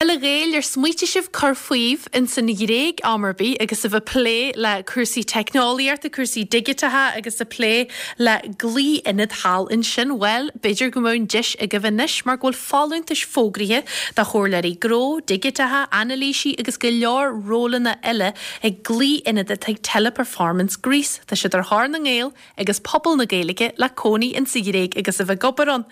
A Ghaeil, ar smaoitigh sibh cur faoibh ins an Ghréig am ar bith agus sibh ag plé le cúrsaí teicneolaíochta, cúrsaí digiteacha agus ag plé le glao-ionad thall ansin? Bhuel, b'fhéidir go mbeadh an deis agaibh anois mar go bhfuil folúntais fógraithe do chomhairleoirí gnó, digiteacha, anailísí agus go leor rólanna eile ag glao-ionad atá ag Teleperformance Greece. Tá siad ar thóir na nGael agus pobal na Gaeilge le cónaí insa Ghréig agus a bheith ag obair ann.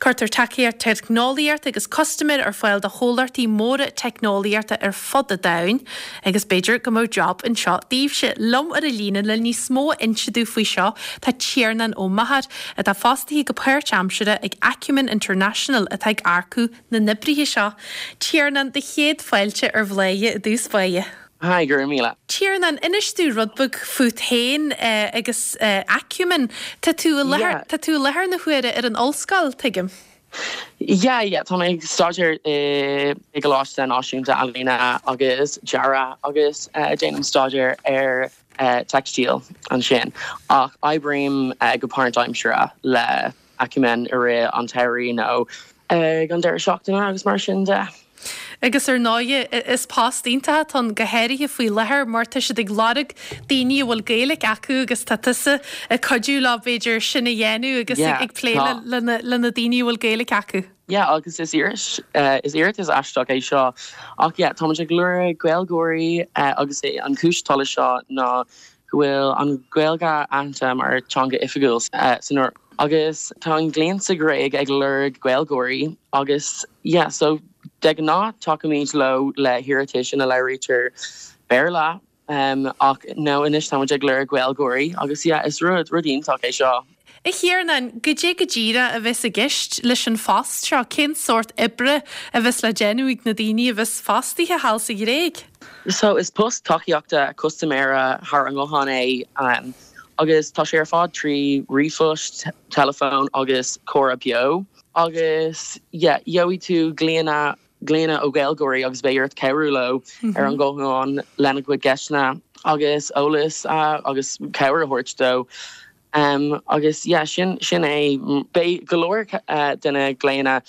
Cuirtear tacaíocht teicneolaíochta agus custaiméir ar fáil do chomhlachtaí móra teicneolaíochta ar fud an domhain agus b'fhéidir go mbeadh job anseo daoibhse. Liom ar an líne le níos mó a inse domh faoi seo tá Tiarnán Ó Meachair, atá fostaithe go páirtaimseartha ag Acumen International atá ag earcú na n-oibrithe seo. Tiarnán, do chéad fáilte ar Bhladhaire i dtús báire. Hi, go raibh míle. Tiarnán, inis domh rud beag fút féin agus Acumen. Tá tú i láthair, tá tú i láthair na huaire ar an ollscoil, tuigim? Yeah, yeah, tá mé ag staidéar i gColáiste Náisiúnta Ealaíne agus Dearaidh agus déanaim staidéar ar teicstíl ansin ach oibrím go páirtaimseartha le Acumen i rith an tsamhraidh nó ag an deireadh seachtaine agus mar sin de. Agus ar ndóighe, is post iontach atá ann, go háirithe faoi láthair mar tá siad ag lorg daoine a bhfuil Gaeilge acu agus tá tusa ag cuidiú leo b'fhéidir sin a dhéanamh agus ag plé le na daoine a bhfuil Gaeilge acu. Yeah, agus is is iarratas aisteach é seo ach yeah, táimid ag lorg Gaeilgeoirí agus é an chúis atá leis seo ná go bhfuil an Ghaeilge aitheanta mar teanga oifigiúil san Eoraip agus tá an gcliant sa Ghréig ag lorg Gaeilgeoirí agus yeah so de ghnáth tacaímid leo le hiarratais ina labhraítear Béarla ach no anois táimid ag lorg Gaeilgeoirí agus yeah is rud rud iontach é seo. A Thiarnáin, goidé go díreach a bheas i gceist leis an phost seo? Cén sórt oibre a bheas le déanamh ag na daoine a bheas fostaithe thall sa Ghréig? So, is post tacaíochta custaiméara thar an nguthán é agus tá sé ar fad trí ríomhphost, teileafón agus comhrá beo. Agus yeah, gheobhaidh tú glaonna glaonna ó Ghaeilgeoirí agus beidh ort cabhrú leo ar an nguthán lena gcuid ceisteanna agus eolas agus cabhair a thabhairt dó. Agus yeah, sin, sin é. Beidh go leor de na glaonna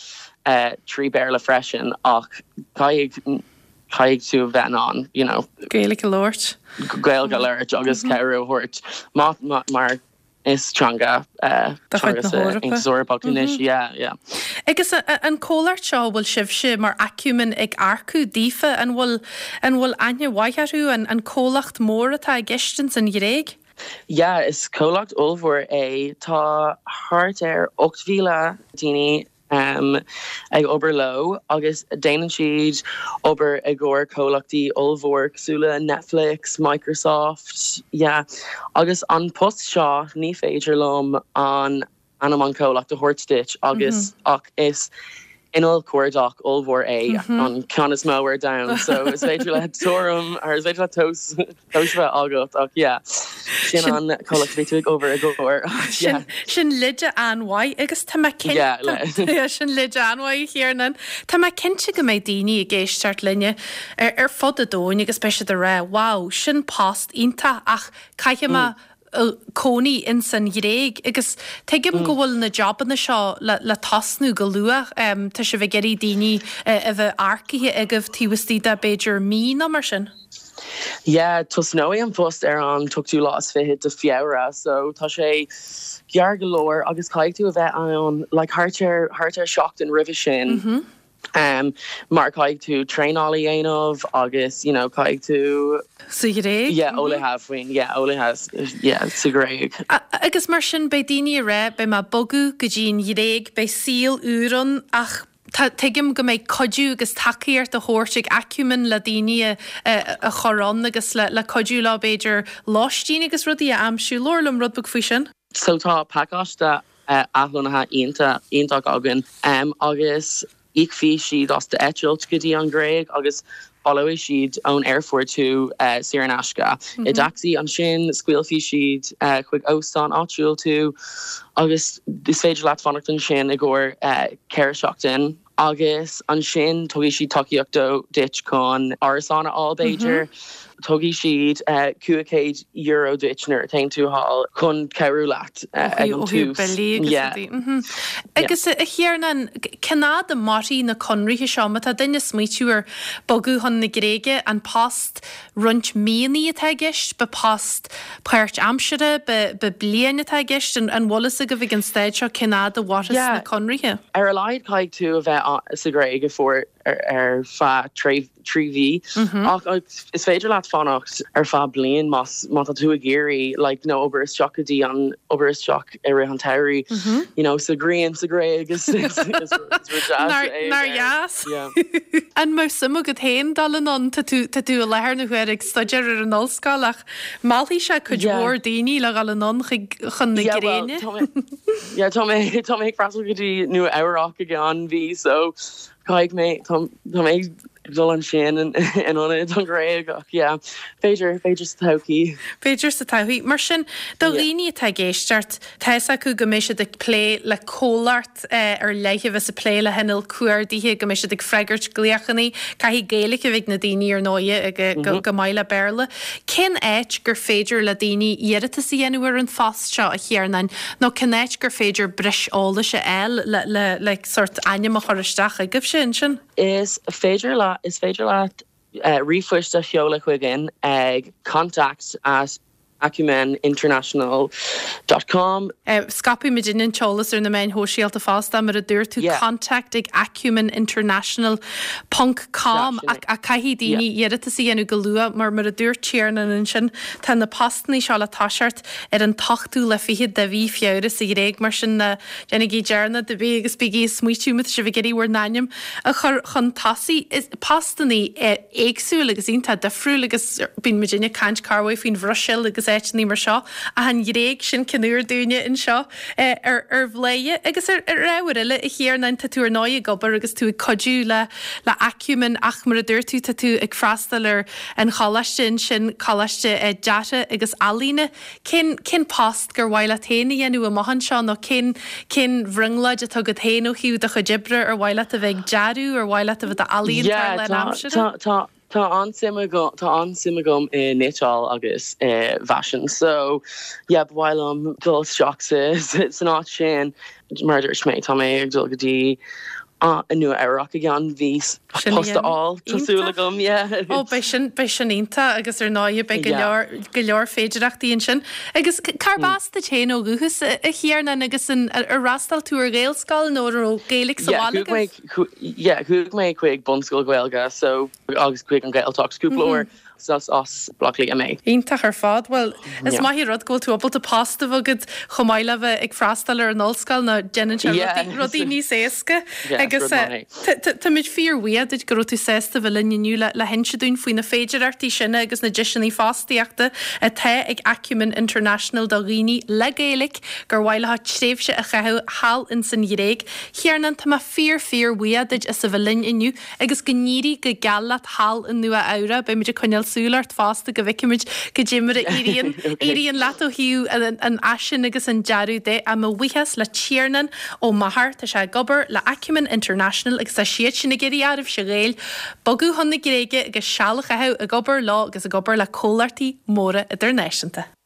trí Bhéarla freisin ach caithfidh, caithfidh tú a bheith in ann, you know. Gaeilge a labhairt. Gaeilge a labhairt agus cabhrú a thabhairt. Má, má, mar is teanga, De chuid teanga na sa hEorpa. Aontas Eorpach anois, yeah, yeah. Agus an comhlacht seo a bhfuil sibhse mar Acumen ag earcú daofa, an bhfuil, an bhfuil aithne mhaith orthu, an, an comhlacht mór atá i gceist ins an Ghréig? Yeah, is comhlacht ollmhór é. Tá thart ar 8,000 daoine ag obair leo agus déanann siad obair i gcomhair comhlachtaí ollmhór cosúil le Netflix, Microsoft, yeah. Agus an post seo ní féidir liom an ainm an chomhlacht a thabhairt duit agus ach is inneall cuardach ollmhór é, an ceann is mó ar domhan, so is féidir le tuairim or is féidir le tomhas tomhas a bheith agat ach yeah, sin an comhlacht a bhí tú ag obair i gcomhair yeah. Sin leide an-mhaith agus tá mé cinnte sin leide an-mhaith a Thiarnáin. Tá mé cinnte go mbeidh daoine ag éisteacht linne ar fud an domhain agus beidh siad ag rá wow, sin post iontach ach caithfidh mé cónaí ins an Ghréig agus tuigim go bhfuil na jobanna seo le tosnú go luath. Tá sibh ag iarraidh daoine a bheith earcaithe agaibh taobh istigh de b'fhéidir mí nó mar sin. Yeah, tosnóidh an post ar an t-ochtú lá is fiche de Feabhra so tá sé gearr go leor agus caithfidh tú a bheith ann like thart ar thart ar seachtain roimhe sin. Mar caithfidh tú traenáil a dhéanamh agus you know caithfidh tú. Sa Ghréig? Yeah, eolaithe faoin, yeah, eolaithe, yeah, sa Ghréig. Agus mar sin beidh daoine ag rá beidh mé ag bogadh go dtí an Ghréig, beidh saol úr ann ach tá, tuigim go mbeidh cuidiú agus tacaíocht á thabhairt ag Acumen le daoine a a chur ann agus le le cuidiú leo b'fhéidir lóistín agus rudaí a aimsiú. Labhair liom rud beag faoi sin. So tá pacáiste athlonnaithe iontach againn agus íocfaidh siad as d'eitilt go dtí an Ghréig agus baileoidh siad ón aerfort thú saor in aisce i dtacsaí. Ansin scaoilfidh siad chuig óstán áitiúil tú agus is féidir leat fanacht ansin i gcomhair 4 seachtain agus ansin tabharfaidh siad tacaíocht duit chun árasán a fháil b'fhéidir. Tabharfaidh siad €500 duit nuair a théann tú thall chun cabhrú leat ag an tús. Yeah. Agus a Thiarnáin, cén fhad a mairfidh na conraithe seo? Má tá duine ag smaoitiú ar bogadh chun na Gréige, an post roinnt míonnaí atá i gceist? Ab ea post páirt-aimseartha? Ab ea bliain atá i gceist? An bhfuil fhios agaibh ag an staid seo cén fhad a mhairfeas na conraithe? Ar a laghad caithfidh tú a bheith sa Ghréig ar feadh 3 mhí ach is féidir leat fanacht ar feadh bliain más má tá tú ag iarraidh like you know obair isteach go dtí an obair isteach i rith an tsamhraidh you know sa ghrian sa Ghréig is is is rud deas é. Nár dheas? An mbeadh suim agat féin dul anonn? Tá tú tá tú i láthair na huaire ag staidéar ar an ollscoil ach meallfaidh sé cuid mhór daoine le dhul anonn chuig chun na Gréine. Yeah tá mé tá mé ag freastal go dtí Nua Eabhrac i gceann mhí so Caithfidh mé, tá mé ag dul ansin in ionad an Ghréig ach yeah, b'fhéidir, b'fhéidir sa todhchaí. B'fhéidir sa todhchaí. Mar sin, do dhaoine atá ag éisteacht, tá fhios acu go mbeidh siad ag plé le comhlacht ar leith a bheas ag plé le hinneall cuardaithe, go mbeidh siad ag freagairt glaochanna, caithfidh Gaeilge a bheith ag na daoine ar ndóighe, go maith le Béarla. Cén áit gur féidir le daoine iarratas a dhéanamh ar an phost seo, a Thiarnáin, nó cén áit gur féidir breis eolais a fháil le, le, le sórt ainm a chur isteach chugaibhse ansin? Is féidir leat, is féidir leat ríomhphoist a sheoladh chugainn ag contact at acumeninternational dot com. Scaipfidh muidinne an t-eolas ar na meáin shóisialta fosta, mar a dúirt tú, contact ag acumeninternational ponc com ach caithfidh daoine iarratas a dhéanamh go luath mar mar a dúirt Tiarnán ansin, tá na postannaí seo le toiseacht ar an t-ochtú lá fichead de mhí Feabhra sa Ghréig, mar sin ná déanaigí dearmad ar bith agus bígí ag smaoitiú má tá sibh ag iarraidh bhur n-ainm a chur chun tosaigh. Is postannaí éagsúil agus iontach difriúil agus bíonn muidinne ag caint corruair faoin Bhruiséil agus áiteannaí mar seo ach an Ghréig, sin cionn úr dúinne anseo ar ar Bhladhaire. Agus ar ar ábhar eile, a Thiarnáin, tá tú ar ndóigh ag obair agus tú ag cuidiú le le Acumen ach mar a dúirt tú tá tú ag freastal ar an choláiste ansin, Coláiste Deartha agus Ealaíne. Cén cén post gur mhaith leat féin a dhéanamh amach anseo nó cén cén bhrionglóid atá agat féin ó thaobh do chuid oibre, ar mhaith leat a bheith ag dearadh, ar mhaith leat a bheith i d'ealaíontóir Yeah, tá lánaimseartha? tá tá tá an-suim agam tá an-suim agam i cniotáil agus i bhfaisean so yeah ba mhaith liom dul isteach sa san áit sin. Mar a dúirt mé tá mé ag dul go dtí i Nua Eabhrac i gceann mhí post a fháil, tá súil agam, yeah. Ó, beidh sin, beidh sin iontach agus ar ndóighe beidh go leor, go leor féidireachtaí ansin. Agus cárb as duit féin ó dhúchas, a Thiarnáin, agus an, ar fhreastail tú ar Ghaelscoil nó an raibh Gaeilge sa bhaile agaibh? Yeah, chuaigh mé chuig bunscoil Ghaeilge so, agus chuig an Ghaeltacht cúpla uair. Is as Baile Átha Cliath mé. Iontach ar fad. Bhuel, is maith an rud go bhfuil tú ábalta post a bheith agat chomh maith le bheith ag freastal ar an ollscoil nó déanann sé rudaí níos éasca. Agus táimid fíorbhuíoch duit go raibh tú sásta bheith linn inniu le hinse dúinn faoi na féidearthachtaí sin agus na deiseanna fostaíochta atá ag Acumen International do dhaoine le Gaeilge gur mhaith leo tréimhse a chaitheamh thall ins an Ghréig. Thiarnáin, tá mé fíor fíor bhuíoch duit as a bheith linn inniu. Agus go n-éirí go geal leat thall i Nua Eabhrac. Beidh muid ag coinneáil súil ort fosta go bhfeicfimid goidé mar a éiríonn éiríonn leat ó thaobh an fhaisin agus an dearadh de. Á mo bhuíochas le Tiarnán Ó Meachair. Tá sé ag obair le Acumen International agus tá siad sin ag iarraidh oraibhse a Ghaeil bogadh chun na Gréige agus seal a chaitheamh ag obair leo agus ag obair le comhlachtaí móra idirnáisiúnta.